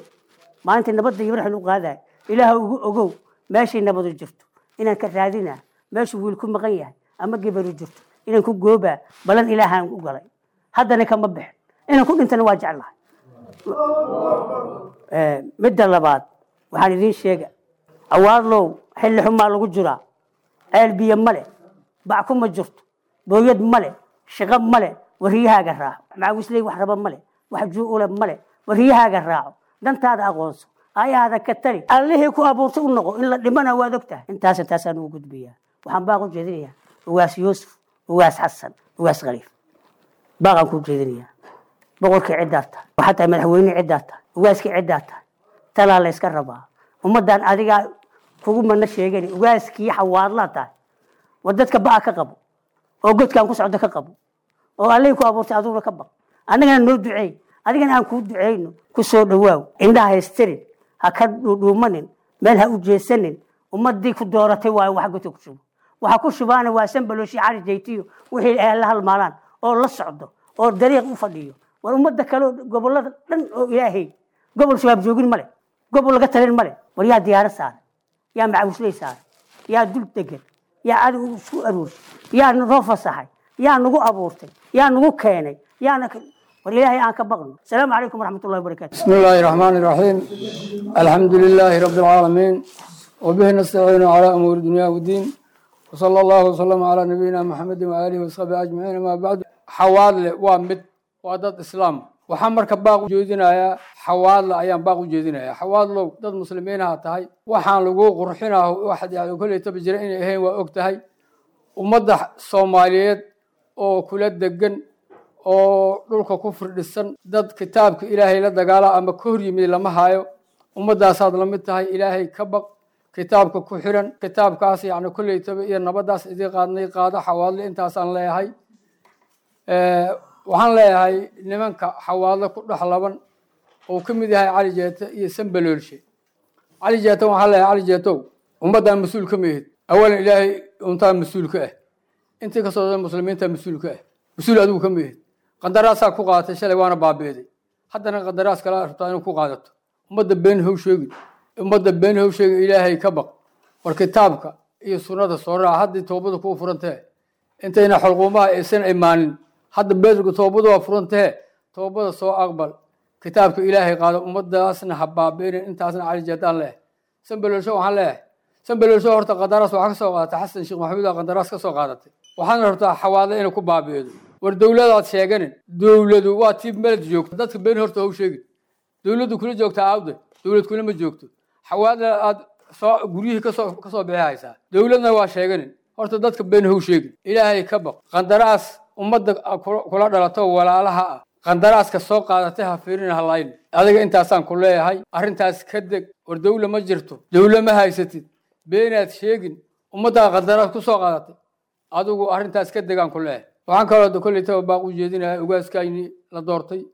maalintii nabadda iyo marxan u qaaday, Ilaahu igu ogow meeshay nabadu jirto inaan ka raadinaa, meeshuu wiil ku maqan yahay ama gabaru jirto inaan ku goobaa, ballan Ilaahaan u galay. Haddana kama bixin, inaan ku dhintana waa jeclahay. Midda labaad waxaan idiin sheega, Awaadlow, xilli xumaa lagu jiraa. Ceel biyo male, bac kuma jirto, booyad male, shaqo male. Wariyahaaga raaco, macawisley wax raba male, wax juu-ule male. Wariyahaaga raaco, dantaada aqoonso, aayahaada ka tali, Allihii ku abuurtay u noqo. In la dhimana waad og tahay. Intaas intaasaan ugu gudbiyaa. Waxaan baaq u jeedinayaa Ugaas Yuusuf, Ugaas Xasan, Ugaas Khaliif. Baaqaan ku jeedinayaa, boqorkii ciddaa tahay, waxaa tahay madaxweyne ciddaa tahay, ugaaskii ciddaa tahay, talaa la yska rabaa. Ummaddan adigaa kugu mana sheegani, ugaaskii Xawaadlaa tahay. War dadka ba'a ka qabo oo godkaan ku socdo ka qabo, oo Allihii ku abuurtay adiguna ka baq, annagana noo duceey, adigana aan kuu duceyno. Ku soo dhawaaw, indhaha haystirin, ha ka dhuudhuumanin, meel ha u jeesanin. Ummadii ku dooratay waayo waxa godka ku shubo, waxa ku shubaana waa Sanbalooshi, Cali Jaytiyo, wixii ay la halmaalaan oo la socdo oo dariiq u fadhiyo. War ummadda kale oo gobollada dhan oo Ilaahay, gobol Shabaab joogin male, gobol laga talin male. War yaa diyaaro saaray? Yaa macawisley saaray? Yaa dul degan? Yaa adigu isku aruurshay? Yaa noo fasaxay? Yaa nagu abuurtay? Yaa nagu keenay? Yaana war Ilaahay aan ka baqno. Asalaamu calaykum waraxmatullahi wabarakaatu. بسم الله الرحمن الرحيم، الحمد لله رب العالمين، وبه نستعين على أمور الدنيا والدين، وصلى الله وسلم على نبينا محمد وآله وصحبه أجمعين، ما بعد. Xawaadle waa mid, waa dad Islaam. Waxaan marka baaq u jeedinayaa Xawaadle, ayaan baaq u jeedinayaa. Xawaadlow, dad muslimiinaha tahay, waxaan lagu qurxinaa waxaad yani kolley taba jira inay ahayn waa og tahay. Ummadda Soomaaliyeed oo kula degan oo dhulka ku firdhisan, dad kitaabka Ilaahay la dagaala ama ka hor yimid lama hayo. Ummaddaasaad la mid tahay. Ilaahay ka baq, kitaabka ku xiran, kitaabkaas yacni kolleytaba iyo nabaddaas idii qaadnay qaado. Xawaadle intaasaan leeyahay. Waxaan leeyahay nimanka Xawaadle ku dhex laban oo ka mid yahay Cali Jeete iyo Sambaloolshe. Cali Jeete waxaan leeyahay, Cali Jeetow, ummaddan mas-uul ka mihid. Awalan Ilaahay untaa mas-uul ka ah, intii kasoo dhan muslimiinta mas-uul ka ah, mas-uul adigu ka mihid. Qandaraasaa ku qaadatay shalay, waana baabi'day, haddana qandaraas kala rabtaa inuu ku qaadato. Ummadda been how sheegin, ummadda been how sheegin. Ilaahay ka baq. War kitaabka iyo sunnada soo raaca haddii toobadu kuu furantee, intayna xolquumaha aysan imaanin. Hadda beedrku toobadu waa furantee, toobada soo aqbal, kitaabka Ilaahay qaado, ummadaasna ha baabi'inin. Intaasna Cali Jeedaan leeyahay. Sanbaloolsho waxaan leeyahay, Sanbaloolsho, horta qandaraas waxaa ka soo qaadatay Xasan Sheekh Maxamuud aa qandaraas ka soo qaadatay, waxaana rabtaa Xawaadle inay ku baabi'ido. War dowladaad sheeganin, dowladu waa tii meled joogto. Dadka been horta how sheegin. Dowladdu kula joogtaa aawde? Dowlad kula ma joogto. Xawaadle aad soo guryihii kasoo kasoo bixi haysaa, dowladna waa sheeganin. Horta dadka been how sheegin, Ilaahay ka baq. Qandaraas ummadda kula dhalato walaalaha ah qandaraaska soo qaadatay ha fiirin, halayn adiga. Intaasaan ku leeyahay, arrintaas ka deg. War dowla ma jirto, dowla ma haysatid, beenaad sheegin, ummaddaa qandaraas ku soo qaadatay. Adigu arrintaas ka degaan ku leeyahay. Waxaan kaloo da kolley taba baaq u jeedinayaa ugaaskayni la doortay.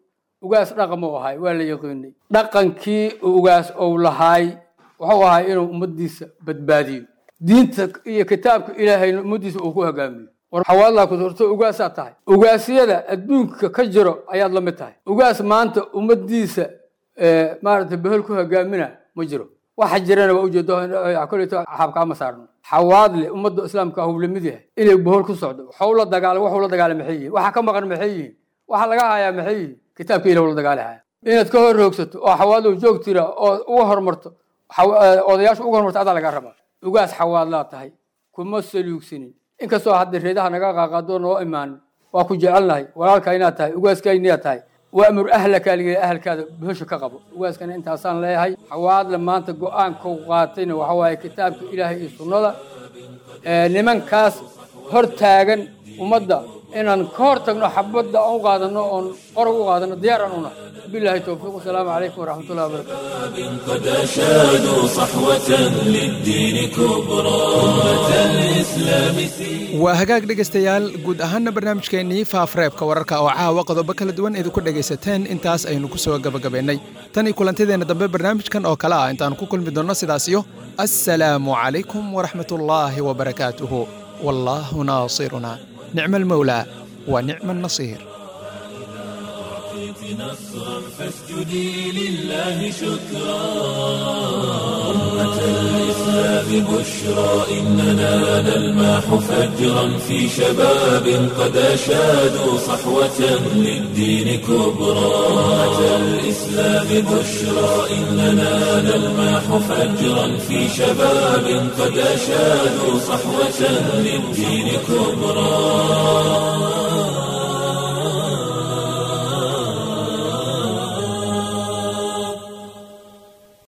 Ugaas dhaqan uu ahay, waa la yaqiinay. Dhaqankii ugaas uu lahaay wuxuu ahay inuu ummaddiisa badbaadiyo, diinta iyo kitaabka Ilaahayna ummaddiisa uu ku hogaamiyo. War Xawaadlaa ku doorto, ugaasaa tahay, ugaasyada adduunka ka jiro ayaad la mid tahay. Ugaas maanta ummaddiisa maaragtay behel ku hogaamina ma jiro. Waxa jirana waa ujeedo, kolleyto xaabkaama saarno. Xawaadle ummadda islaamka hub lamid yahay inay bohol ku socdo. Waxuu la dagaala, waxuu la dagaala maxay yihiin? Waxa ka maqan maxay yihiin? Waxa laga hayaa maxay yihiin? Kitaabka Ilah la dagaali haya. Inaad ka hor roogsato oo Xawaadlow joog tira oo uga hormarto, odayaashu uga hormarto, adaa laga rabaa. Ugaas Xawaadlaa tahay, kuma saluugsanin, inkastoo hadda reedaha naga qaaqaadoo noo imaanin. Waa ku jecelnahay, walaalka inaad tahay, ugaaskayniyaad tahay. Waamur ahlaka liga, ahalkaada bohosha ka qabo. Ugaaskana intaasaan leeyahay. Xawaadle maanta go-aanka u qaatayna waxa waaye kitaabka Ilaahay iyo sunnada. Nimankaas hor taagan ummadda inaan ka hor tagno, xabadda aan u qaadano oon qorog u qaadano, diyaar aan unahay. Billahi towfiiq, wasalaamu calaykum waraxmatullahi wabarakatu. قد أشادوا صحوة للدين كبرى، أمة الإسلام. Waa hagaag dhegaystayaal, guud ahaana barnaamijkeennii Faafareebka Wararka oo caawa qodobo kala duwan idinku dhegaysateen intaas aynu ku soo gabagabaynay. Tan iyo kulantideenna dambe barnaamijkan oo kale ah intaan ku kulmi doonno, sidaas iyo assalaamu calaykum waraxmatullaahi wabarakaatuhu. Wallaahu naasiruna, nicma almawlaa wa nicma annasiir. نصرا فاسجدي لله شكرا. أمة الإسلام بشرى إننا نلمح فجرا في شباب قد أشادوا صحوة للدين كبرى. أمة الإسلام بشرى إننا نلمح فجرا في شباب قد أشادوا صحوة للدين كبرى.